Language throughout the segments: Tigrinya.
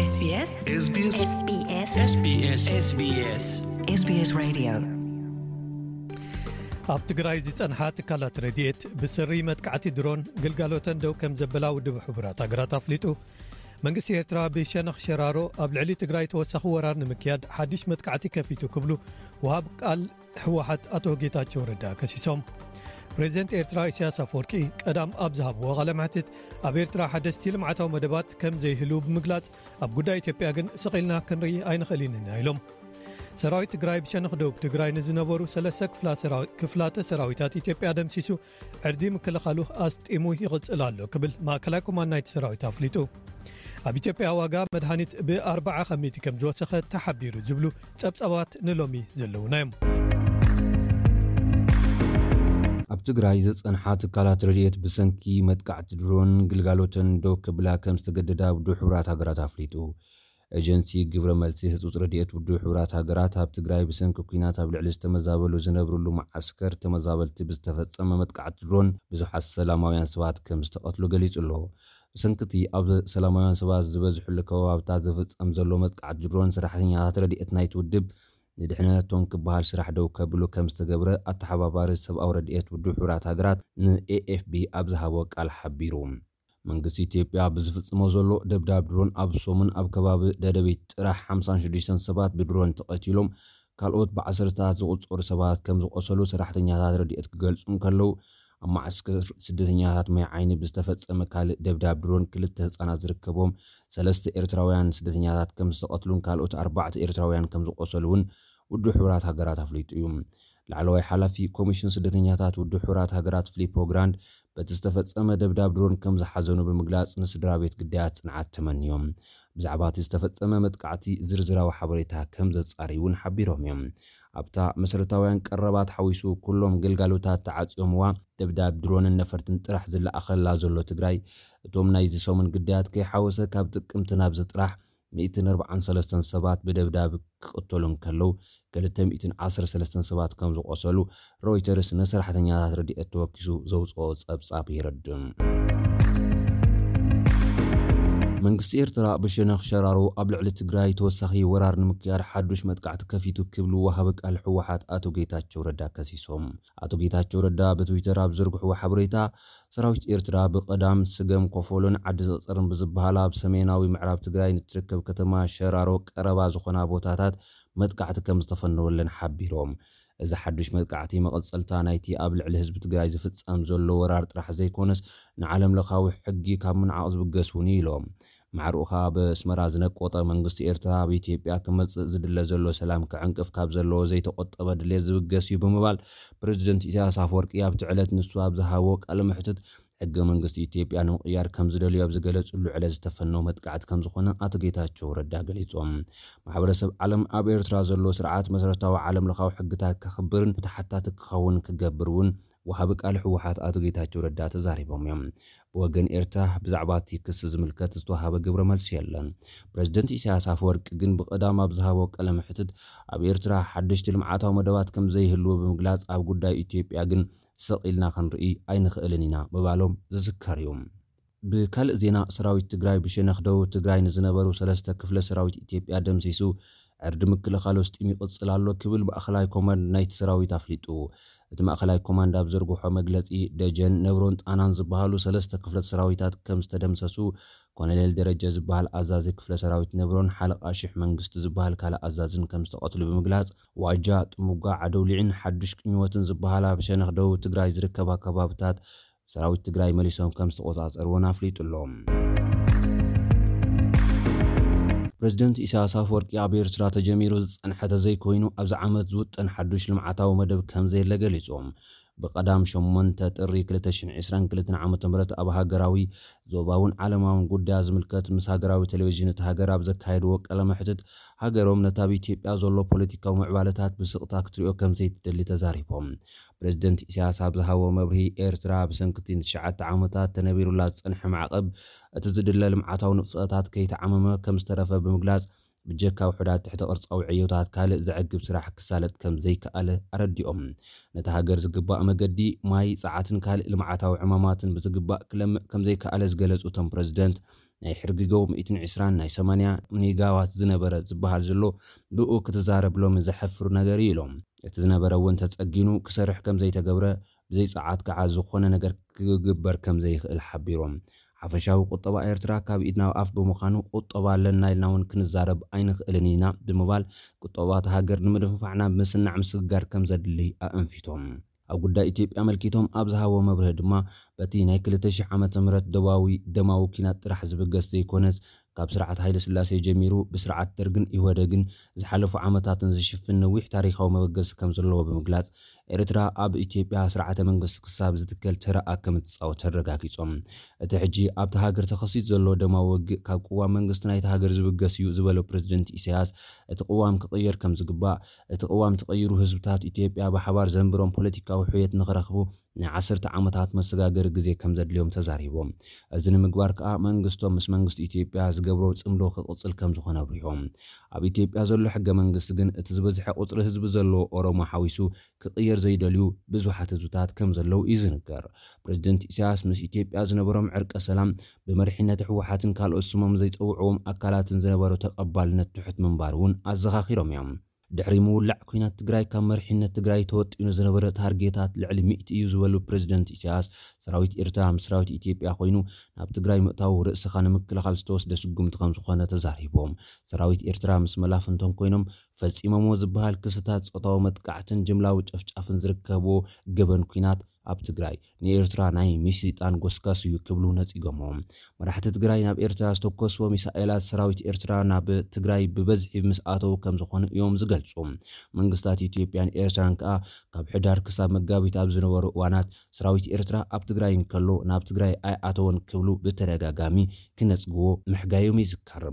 SBS SBS SBS SBS SBS Radio. ኣብ ትግራይ ዝጸንሓ ትካላት ረድኤት ብስሪ መጥቃዕቲ ድሮን ግልጋሎተን ደው ከም ዘበላ ውድብ ሕቡራት ሃገራት ኣፍሊጡ። መንግስቲ ኤርትራ ብሸነኽ ሸራሮ ኣብ ልዕሊ ትግራይ ተወሳኺ ወራር ንምክያድ ሓድሽ መጥቃዕቲ ከፊቱ ክብሉ ወሃብ ቃል ህወሓት ኣቶ ጌታቸው ረዳ ከሲሶም። ፕሬዚደንት ኤርትራ ኢሳያስ ኣፈወርቂ ቀዳም ኣብ ዝሃብዎ ቃለ መሕትት ኣብ ኤርትራ ሓደስቲ ልምዓታዊ መደባት ከም ዘይህሉ ብምግላጽ ኣብ ጉዳይ ኢትዮጵያ ግን ስቕ ኢልና ክንርኢ ኣይንኽእልን ኢና ኢሎም። ሰራዊት ትግራይ ብሸነኽ ደቡብ ትግራይ ንዝነበሩ ሰለስተ ክፍላ ሰራዊ-፣ ክፍላተ ሰራዊታት ኢትዮጵያ ደምሲሱ ዕርዲ ምክልኻሉ ኣስጢሙ ይቕጽል ኣሎ ክብል ማእከላይ ኮማንድ ናይቲ ሰራዊት ኣፍሊጡ። ኣብ ኢትዮጵያ ዋጋ መድሃኒት ብኣርባዓ ከሚቲ ከም ዝወሰኸ ተሓቢሩ ዝብሉ ጸብጻባት ንሎሚ ዘለዉና እዮም። ኣብ ትግራይ ዝጸንሓ ትካላት ረድኤት ብሰንኪ መጥቃዕቲ ድሮን ግልጋሎተን ደው ክብላ ከም ዝተገደዳ ውድብ ሕቡራት ሃገራት ኣፍሊጡ። ኤጀንሲ ግብረ መልሲ ህጹጽ ረድኤት ውድብ ሕቡራት ሃገራት ኣብ ትግራይ ብሰንኪ ኲናት ኣብ ልዕሊ ዝተመዛበሉ ዝነብርሉ መዓስከር ተመዛበልቲ ብዝተፈጸመ መጥቃዕቲ ድሮን ብዙሓት ሰላማውያን ሰባት ከም ዝተቐትሉ ገሊጹ ኣሎ። ብሰንኪ እቲ ኣብ ሰላማውያን ሰባት ዝበዝሕሉ ከባብታት ዝፍጸም ዘሎ መጥቃዕቲ ድሮን ሰራሕተኛታት ረድኤት ናይቲ ውድብ ንድሕነቶም ክበሃል ስራሕ ደው ከብሉ ከም ዝተገብረ ኣተሓባባሪ ሰብኣዊ ረድኤት ውድብ ሕቡራት ሃገራት ንኤኤፍቢ ኣብ ዝሃቦ ቃል ሓቢሩ። መንግስቲ ኢትዮጵያ ብዝፍጽሞ ዘሎ ደብዳብ ድሮን ኣብ ሰሙን ኣብ ከባቢ ደደቢት ጥራሕ ሓምሳን ሽዱሽተን ሰባት ብድሮን ተቐቲሎም፣ ካልኦት ብዓሰርተታት ዝቑጸሩ ሰባት ከም ዝቖሰሉ ሰራሕተኛታት ረድኤት ክገልጹ እንከለዉ፣ ኣብ መዓስከር ስደተኛታት ማይ ዓይኒ ብዝተፈጸመ ካልእ ደብዳብ ድሮን ክልተ ህጻናት ዝርከቦም ሰለስተ ኤርትራውያን ስደተኛታት ከም ዝተቐትሉን ካልኦት ኣርባዕተ ኤርትራውያን ከም ዝቖሰሉ እውን ውድብ ሕቡራት ሃገራት ኣፍሊጡ እዩ። ላዕለዋይ ሓላፊ ኮሚሽን ስደተኛታት ውድብ ሕቡራት ሃገራት ፊሊፖ ግራንድ በቲ ዝተፈጸመ ደብዳብ ድሮን ከም ዝሓዘኑ ብምግላጽ ንስድራ ቤት ግዳያት ጽንዓት ተመንዮም። ብዛዕባ እቲ ዝተፈጸመ መጥቃዕቲ ዝርዝራዊ ሓበሬታ ከም ዘጻርዩ እውን ሓቢሮም እዮም። ኣብታ መሰረታውያን ቀረባት ሓዊሱ ኩሎም ግልጋሎታት ተዓጽዮምዋ፣ ደብዳብ ድሮንን ነፈርትን ጥራሕ ዝለኣኸላ ዘሎ ትግራይ፣ እቶም ናይዚ ሰሙን ግዳያት ከይሓወሰ ካብ ጥቅምቲ ናብዚ ጥራሕ ሚእትን ኣርባዓን ሰለስተን ሰባት ብደብዳብ ክቕተሉ እንከለዉ፣ ክልተ ሚእትን ዓሰርተ ሰለስተን ሰባት ከም ዝቖሰሉ ሮይተርስ ንሰራሕተኛታት ረድኤት ተወኪሱ ዘውፅኦ ጸብጻብ የረድእ። መንግስቲ ኤርትራ ብሸነኽ ሸራሮ ኣብ ልዕሊ ትግራይ ተወሳኺ ወራር ንምክያድ ሓዱሽ መጥቃዕቲ ከፊቱ ክብሉ ወሃቢ ቃል ህወሓት ኣቶ ጌታቸው ረዳ ከሲሶም። ኣቶ ጌታቸው ረዳ ብትዊተር ኣብ ዝዘርግሕዎ ሓበሬታ፣ ሰራዊት ኤርትራ ብቐዳም ስገም ኮፎሎን ዓዲ ዝቕጽርን ብዝበሃላ ኣብ ሰሜናዊ ምዕራብ ትግራይ ንትርከብ ከተማ ሸራሮ ቀረባ ዝኾና ቦታታት መጥቃዕቲ ከም ዝተፈነወለን ሓቢሮም። እዚ ሓዱሽ መጥቃዕቲ መቐጸልታ ናይቲ ኣብ ልዕሊ ህዝቢ ትግራይ ዝፍጸም ዘሎ ወራር ጥራሕ ዘይኮነስ፣ ንዓለም ለኻዊ ሕጊ ካብ ምንዓቕ ዝብገስ እውን እዩ ኢሎም። ማዕርኡ ከኣ ብኣስመራ ዝነቆጠ መንግስቲ ኤርትራ ኣብ ኢትዮጵያ ክመጽእ ዝድለ ዘሎ ሰላም ክዕንቅፍ ካብ ዘለዎ ዘይተቆጠበ ድሌት ዝብገስ እዩ ብምባል፣ ፕሬዚደንት ኢሳያስ ኣፈወርቂ ኣብቲ ዕለት ንሱ ኣብ ዝሃቦ ቃለ መሕትት፣ ሕገ መንግስቲ ኢትዮጵያ ንምቕያር ከም ዝደልዩ ኣብ ዝገለጽሉ ዕለት ዝተፈነው መጥቃዕቲ ከም ዝኾነ ኣቶ ጌታቸው ረዳ ገሊጾም። ማሕበረሰብ ዓለም ኣብ ኤርትራ ዘሎ ስርዓት መሰረታዊ ዓለም ለኻዊ ሕግታት ከኽብርን ተሓታቲ ክኸውን ክገብር እውን ወሃቢ ቃል ህወሓት ኣቶ ጌታቸው ረዳ ተዛሪቦም እዮም። ብወገን ኤርትራ ብዛዕባ እቲ ክሲ ዝምልከት ዝተዋሃበ ግብረ መልሲ የለን። ፕሬዚደንት ኢሳያስ ኣፈወርቂ ግን ብቐዳም ኣብ ዝሃቦ ቃለ መሕትት ኣብ ኤርትራ ሓደሽቲ ልምዓታዊ መደባት ከም ዘይህልዉ ብምግላጽ ኣብ ጉዳይ ኢትዮጵያ ግን ስቕ ኢልና ክንርኢ ኣይንኽእልን ኢና ምባሎም ዝዝከር እዩ። ብካልእ ዜና ሰራዊት ትግራይ ብሸነኽ ደቡብ ትግራይ ንዝነበሩ ሰለስተ ክፍለ ሰራዊት ኢትዮጵያ ደምሲሱ ዕርዲ ምክልኻል ወስጢሙ ይቕጽል ኣሎ ክብል ማእኸላይ ኮማንድ ናይቲ ሰራዊት ኣፍሊጡ። እቲ ማእኸላይ ኮማንድ ኣብ ዘርግሖ መግለጺ ደጀን፣ ነብሮን ጣናን ዝበሃሉ ሰለስተ ክፍለ ሰራዊታት ከም ዝተደምሰሱ ኮሎኔል ደረጀ ዝበሃል ኣዛዚ ክፍለ ሰራዊት ነብሮን ሓለቓ ሽሕ መንግስቱ ዝበሃል ካልእ ኣዛዝን ከም ዝተቐትሉ ብምግላጽ ዋጃ፣ ጥሙጋ፣ ዓደውሊዕን ሓዱሽ ቅኝወትን ዝበሃላ ብሸነኽ ደቡብ ትግራይ ዝርከባ ከባብታት ሰራዊት ትግራይ መሊሶም ከም ዝተቆጻጸርዎን ኣፍሊጡ ኣሎ። ፕሬዚደንት ኢሳያስ ኣፈወርቂ ኣብ ኤርትራ ተጀሚሩ ዝጸንሐ ተዘይኮይኑ ኣብዚ ዓመት ዝውጠን ሓዱሽ ልምዓታዊ መደብ ከም ዘየለ ገሊጾም። ብቐዳም ሸሞንተ ጥሪ ክልተ ሽሕን ዕስራን ክልተን ዓመተ ምህረት ኣብ ሃገራዊ፣ ዞባውን ዓለማውን ጉዳያት ዝምልከት ምስ ሃገራዊ ቴሌቪዥን እቲ ሃገር ኣብ ዘካየድዎ ቃለ መሕትት፣ ሃገሮም ነቲ ኣብ ኢትዮጵያ ዘሎ ፖለቲካዊ ምዕባለታት ብስቕታ ክትሪኦ ከም ዘይትደሊ ተዛሪቦም። ፕሬዚደንት ኢሳያስ ኣብ ዝሃቦ መብርሂ፣ ኤርትራ ብሰንኪ እቲ ንትሽዓተ ዓመታት ተነቢሩላ ዝጸንሐ ማዕቐብ፣ እቲ ዝድለ ልምዓታዊ ንጥፈታት ከይተዓመመ ከም ዝተረፈ ብምግላጽ፣ ብጀካ ውሑዳት ትሕተ ቅርጻዊ ዕዮታት ካልእ ዘዕግብ ስራሕ ክሳለጥ ከም ዘይከኣለ ኣረዲኦም። ነታ ሃገር ዝግባእ መገዲ፣ ማይ፣ ጸዓትን ካልእ ልምዓታዊ ዕማማትን ብዝግባእ ክለምዕ ከም ዘይከኣለ ዝገለጹ እቶም ፕሬዚደንት፣ ናይ ሕርግገው ሚእትን ዕስራን ናይ ሰማንያ ሜጋዋት ዝነበረ ዝበሃል ዘሎ ብኡ ክትዛረብ ሎሚ ዘሕፍር ነገር እዩ ኢሎም። እቲ ዝነበረ እውን ተጸጊኑ ክሰርሕ ከም ዘይተገብረ ብዘይ ጸዓት ከዓ ዝኾነ ነገር ክግበር ከም ዘይኽእል ሓቢሮም። ሓፈሻዊ ቁጠባ ኤርትራ ካብ ኢድ ናብ ኣፍ ብምዃኑ ቁጠባ ኣለና ኢልና እውን ክንዛረብ ኣይንኽእልን ኢና ብምባል ቁጠባ እታ ሃገር ንምድንፋዕና ምስናዕ ምስግጋር ከም ዘድሊ ኣእንፊቶም። ኣብ ጉዳይ ኢትዮጵያ ኣመልኪቶም ኣብ ዝሃቦ መብርሂ ድማ በቲ ናይ ክልተ ሽሕ ዓመተ ምህረት ደባዊ ደማዊ ኲናት ጥራሕ ዝብገስ ዘይኮነስ ካብ ስርዓት ሃይለ ስላሴ ጀሚሩ ብስርዓት ደርግን ኢህወደግን ዝሓለፉ ዓመታትን ዝሽፍን ነዊሕ ታሪኻዊ መበገሲ ከም ዘለዎ ብምግላጽ ኤርትራ ኣብ ኢትዮጵያ ስርዓተ መንግስቲ ክሳብ ዝትከል ተረኣ ከም እትጻወት ኣረጋጊጾም። እቲ ሕጂ ኣብቲ ሃገር ተኸሲት ዘሎ ደማዊ ውግእ ካብ ቅዋም መንግስቲ ናይቲ ሃገር ዝብገስ እዩ ዝበሎ ፕሬዝደንት ኢሳያስ እቲ ቅዋም ክቕየር ከም ዝግባእ እቲ ቅዋም ተቐይሩ ህዝብታት ኢትዮጵያ ብሓባር ዘንብሮም ፖለቲካዊ ሕውየት ንኽረኽቡ ናይ ዓሰርተ ዓመታት መሰጋገሪ ግዜ ከም ዘድልዮም ተዛሪቦም። እዚ ንምግባር ከኣ መንግስቶም ምስ መንግስቲ ኢትዮጵያ ዝገብሮ ጽምዶ ክቕጽል ከም ዝኾነ ኣብሪሆም። ኣብ ኢትዮጵያ ዘሎ ሕገ መንግስቲ ግን እቲ ዝበዝሐ ቁጽሪ ህዝቢ ዘለዎ ኦሮሞ ሓዊሱ ክቕየር ዘይደልዩ ብዙሓት ህዝብታት ከም ዘለዉ እዩ ዝንገር። ፕሬዝደንት ኢሳያስ ምስ ኢትዮጵያ ዝነበሮም ዕርቀ ሰላም ብመሪሕነት ህወሓትን ካልኦት ስሞም ዘይጸውዕዎም ኣካላትን ዝነበሮ ተቐባልነት ትሑት ምንባር እውን ኣዘኻኺሮም እዮም። ድሕሪ ምውላዕ ኲናት ትግራይ ካብ መሪሕነት ትግራይ ተወጢኑ ዝነበረ ታርጌታት ልዕሊ ሚእቲ እዩ ዝበሉ ፕሬዝደንት ኢሳያስ ሰራዊት ኤርትራ ምስ ሰራዊት ኢትዮጵያ ኮይኑ ናብ ትግራይ ምእታው ርእስኻ ንምክልኻል ዝተወስደ ስጉምቲ ከም ዝኾነ ተዛሪቦም። ሰራዊት ኤርትራ ምስ መላፍንቶም ኮይኖም ፈጺሞምዎ ዝበሃል ክስታት ጾታዊ መጥቃዕትን ጅምላዊ ጨፍጫፍን ዝርከብዎ ገበን ኲናት ኣብ ትግራይ ንኤርትራ ናይ ሚስይጣን ጎስጋስ እዩ ክብሉ ነጺጎምዎ። መራሕቲ ትግራይ ናብ ኤርትራ ዝተኮስዎ ሚሳኤላት ሰራዊት ኤርትራ ናብ ትግራይ ብበዝሒ ምስ ኣተዉ ከም ዝኾኑ እዮም ዝገልጹ። መንግስታት ኢትዮጵያን ኤርትራን ከኣ ካብ ሕዳር ክሳብ መጋቢት ኣብ ዝነበሩ እዋናት ሰራዊት ኤርትራ ኣብ ትግራይ እንከሎ ናብ ትግራይ ኣይኣተወን ክብሉ ብተደጋጋሚ ክነጽግዎ ምሕጋዮም ይዝከር።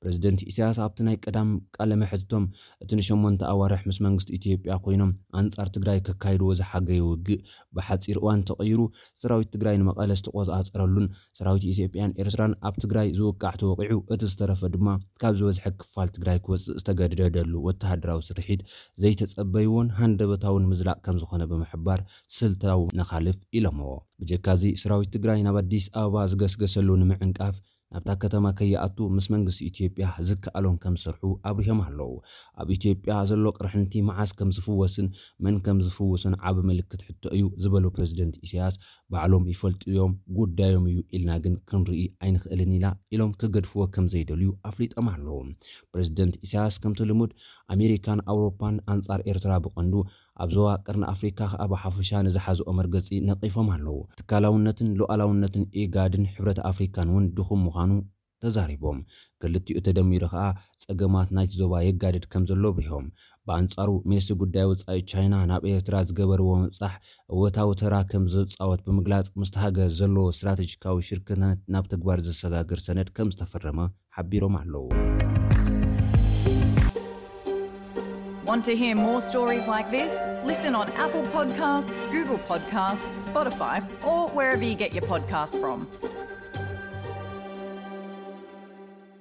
ፕሬዝደንት ኢሳያስ ኣብቲ ናይ ቀዳም ቃለ መሕትቶም እቲ ንሸሞንተ ኣዋርሕ ምስ መንግስቲ ኢትዮጵያ ኮይኖም ኣንጻር ትግራይ ከካይድዎ ዝሓገዩ ውግእ ብሓጺር እዋን ተቐይሩ ሰራዊት ትግራይ ንመቐለ ዝተቆጻጸረሉን ሰራዊት ኢትዮጵያን ኤርትራን ኣብ ትግራይ ዝውቃዕ ተወቂዑ እቲ ዝተረፈ ድማ ካብ ዝበዝሐ ክፋል ትግራይ ክወጽእ ዝተገደደሉ ወተሃደራዊ ስርሒት ዘይተጸበይዎን ሃንደበታውን ምዝላቕ ከም ዝኾነ ብምሕባር ስልታዊ ነኻልፍ ኢሎምዎ። ብጀካዚ ሰራዊት ትግራይ ናብ ኣዲስ ኣበባ ዝገስገሰሉ ንምዕንቃፍ ናብታ ከተማ ከይኣቱ ምስ መንግስቲ ኢትዮጵያ ዝከኣሎም ከም ዝሰርሑ ኣብሪሆም ኣለዉ። ኣብ ኢትዮጵያ ዘሎ ቅርሕንቲ መዓስ ከም ዝፍወስን መን ከም ዝፍውስን ዓቢ ምልክት ሕቶ እዩ ዝበሉ ፕሬዝደንት ኢሳያስ ባዕሎም ይፈልጡ እዮም፣ ጉዳዮም እዩ ኢልና ግን ክንርኢ ኣይንኽእልን ኢና ኢሎም ክገድፍዎ ከም ዘይደልዩ ኣፍሊጦም ኣለዉ። ፕሬዝደንት ኢሳያስ ከምቲ ልሙድ ኣሜሪካን ኣውሮፓን ኣንጻር ኤርትራ ብቐንዱ ኣብ ዞባ ቀርኒ ኣፍሪካ ከኣ ብሓፈሻ ንዝሓዝኦ መርገጺ ነቒፎም ኣለዉ። ትካላውነትን ሉኣላውነትን ኢጋድን ሕብረት ኣፍሪካን እውን ድኹም ምዃኑ ተዛሪቦም። ክልቲኡ ተደሚሩ ከኣ ጸገማት ናይቲ ዞባ የጋድድ ከም ዘሎ ኣብሪሆም። ብኣንጻሩ ሚኒስትሪ ጉዳይ ወጻኢ ቻይና ናብ ኤርትራ ዝገበርዎ ምብጻሕ እወታዊ ተራ ከም ዝጻወት ብምግላጽ ምስቲ ሃገር ዘለዎ ስትራቴጂካዊ ሽርክነት ናብ ተግባር ዘሰጋግር ሰነድ ከም ዝተፈረመ ሓቢሮም ኣለዉ። Want to hear more stories like this? Listen on Apple Podcasts, Google Podcasts, Spotify, or wherever you get your podcasts from.